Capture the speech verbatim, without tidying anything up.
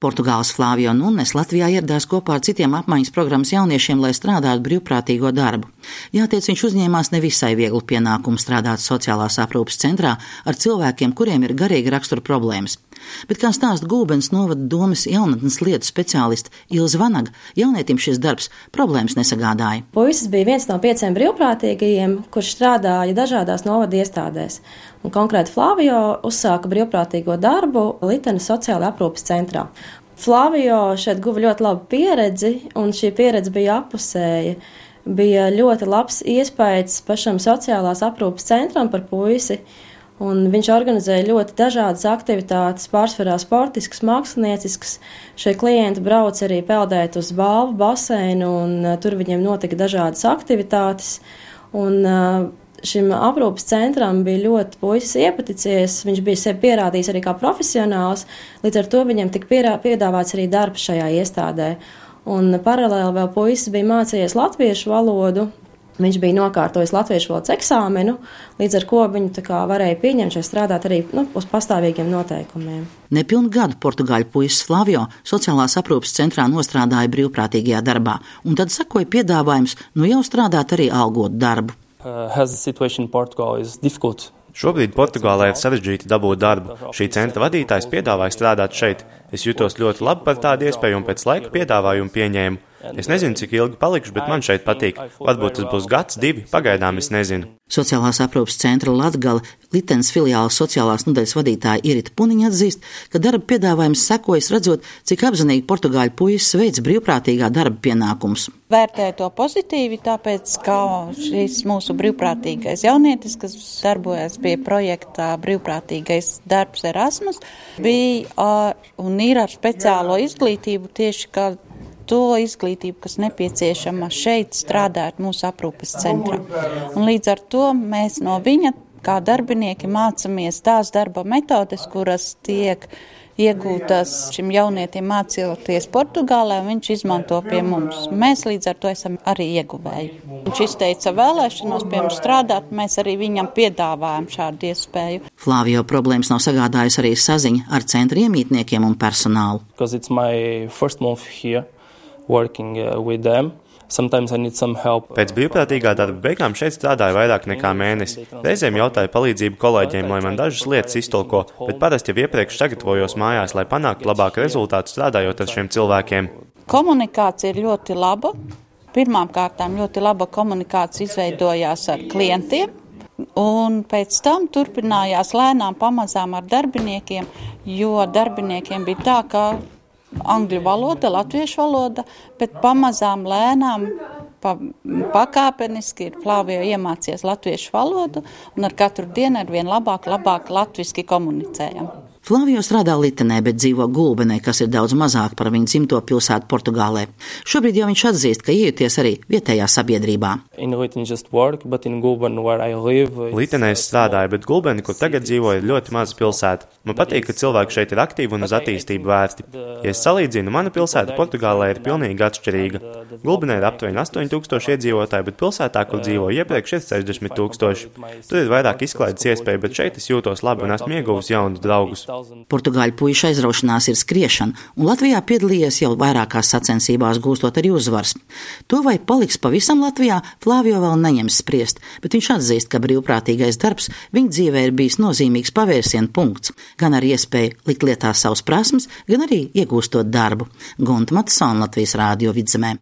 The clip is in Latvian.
Portugāles Flāvio Nunes Latvijā ieradās kopā ar citiem apmaiņas programmas jauniešiem, lai strādātu brīvprātīgo darbu. Jātiec, viņš uzņēmās nevisai vieglu pienākumu strādāt sociālās aprūpes centrā ar cilvēkiem, kuriem ir garīga rakstura problēmas. Bet, kā stāsta Gulbenes novada domes jaunatnes lietu speciāliste Ilze Vanaga, jaunietim šis darbs problēmas nesagādāja. Puisis bija viens no pieciem brīvprātīgajiem, kurš strādāja dažādās novada iestādēs. Un konkrēti Flāvio uzsāka brīvprātīgo darbu Litenes sociālajā aprūpes centrā. Flāvio šeit guva ļoti labu pieredzi, un šī pieredze bija appusēja. Bija ļoti labs iespējas pašam sociālās aprūpes centram par puisi, un viņš organizēja ļoti dažādas aktivitātes, pārsvarā sportiskas, mākslinieciskas. Šie klienti brauc arī peldēt uz balvu baseinu, un tur viņiem notika dažādas aktivitātes. Un šim aprūpes centram bija ļoti puisis iepaticies, viņš bija sevi pierādījis arī kā profesionāls, līdz ar to viņam tika pierā, piedāvāts arī darbs šajā iestādē. Un paralēli vēl puisis bija mācījies latviešu valodu, viņš bija nokārtojis latviešu valodas eksāmenu, līdz ar ko viņu tā kā varēja pieņemt šeit strādāt arī nu, uz pastāvīgiem noteikumiem. Nepilnu gadu portugāļu puisis Flāvio sociālās aprūpes centrā nostrādāja brīvprātīgajā darbā, un tad sakoja piedāvājums nu jau strādāt arī algotu darbu. Uh, has the situation in Portugal is difficult. Šobrīd Portugālē ir sarežģīti dabūt darbu. Šī centra vadītājs piedāvāja strādāt šeit. Es jutos ļoti labi par tādu iespēju un pēc laika piedāvājumu pieņēmu. Es nezinu, cik ilgi palikšu, bet man šeit patīk. Varbūt tas būs gads, divi, pagaidām es nezinu. Sociālās aprūpes centra Latgale Litenes filiāles sociālās nodaļas vadītāja Irita Puniņa atzīst, ka darba piedāvājums sekojas redzot, cik apzinīgi portugāļu puisis veic brīvprātīgā darba pienākumus. Vērtēju to pozitīvi, tāpēc, ka šis mūsu brīvprātīgais jaunietis, kas darbojas pie projektā brīvprātīgais darbs Erasmus, bija un ir ar speciālo izglītību tieši kā to izglītību, kas nepieciešama šeit strādāt mūsu aprūpes centrā. Un līdz ar to mēs no viņa, kā darbinieki, mācāmies tās darba metodes, kuras tiek iegūtas šim jaunietim mācīties Portugālē, un viņš izmanto pie mums. Mēs līdz ar to esam arī ieguvēji. Viņš izteica vēlēšanos pie mums strādāt, mēs arī viņam piedāvājam šādu iespēju. Flāvio problēmas nav sagādājusi arī saziņa ar centra iemītniekiem un personālu. Because it's my first month here. Working uh, with them. Sometimes I need some help. Pēc brīvprātīgā darba beigām šeit strādāju vairāk nekā mēnesi. Reizēm jautāju palīdzību kolēģiem, lai man dažas lietas iztulko, bet parasti jau iepriekš sagatavojos mājās, lai panāktu labāku rezultātu strādājot ar šiem cilvēkiem. Komunikācija ir ļoti laba. Pirmām kārtām ļoti laba komunikācija izveidojās ar klientiem, un pēc tam turpinājās lēnām pamazām ar darbiniekiem, jo darbiniekiem bija tā, ka angļu valoda, latviešu valoda, bet pamazām lēnām, pa, pakāpeniski ir Flāvio iemācies latviešu valodu un ar katru dienu ar vien labāk, labāk latviski komunicējam. Flāvio strādā Litenē, bet dzīvo Gulbenē, kas ir daudz mazāk par viņu dzimto pilsētu Portugālē. Šobrīd jau viņš atzīst, ka iejuties arī vietējā sabiedrībā. Work, Gulben, live, Litenē es strādāju, bet Gulbeni, kur tagad dzīvoju, ir ļoti maza pilsēta. Man patīk, ka cilvēki šeit ir aktīvi un uz attīstību vērsti. Ja es salīdzinu, mana pilsēta Portugālē ir pilnīgi atšķirīga. Gulbenē ir aptuveni astoņi tūkstoši iedzīvotāji, bet pilsētā, kur dzīvoju iepriekš, ir sešdesmit tūkstoši. Tur ir vairāk izklaides iespēju, bet šeit es jūtos labi un esmu ieguvis jaunus draugus. Portugāļu puiša aizraušanās ir skriešana, un Latvijā piedalījies jau vairākās sacensībās, gūstot arī uzvaras. To, vai paliks pavisam Latvijā, Flāvio vēl neņems spriest, bet viņš atzīst, ka brīvprātīgais darbs viņa dzīvē ir bijis nozīmīgs pavērsiena punkts, gan ar iespēju likt lietā savas prasmes, gan arī iegūstot darbu. Gunta Matsona, Latvijas Rādio Vidzemē.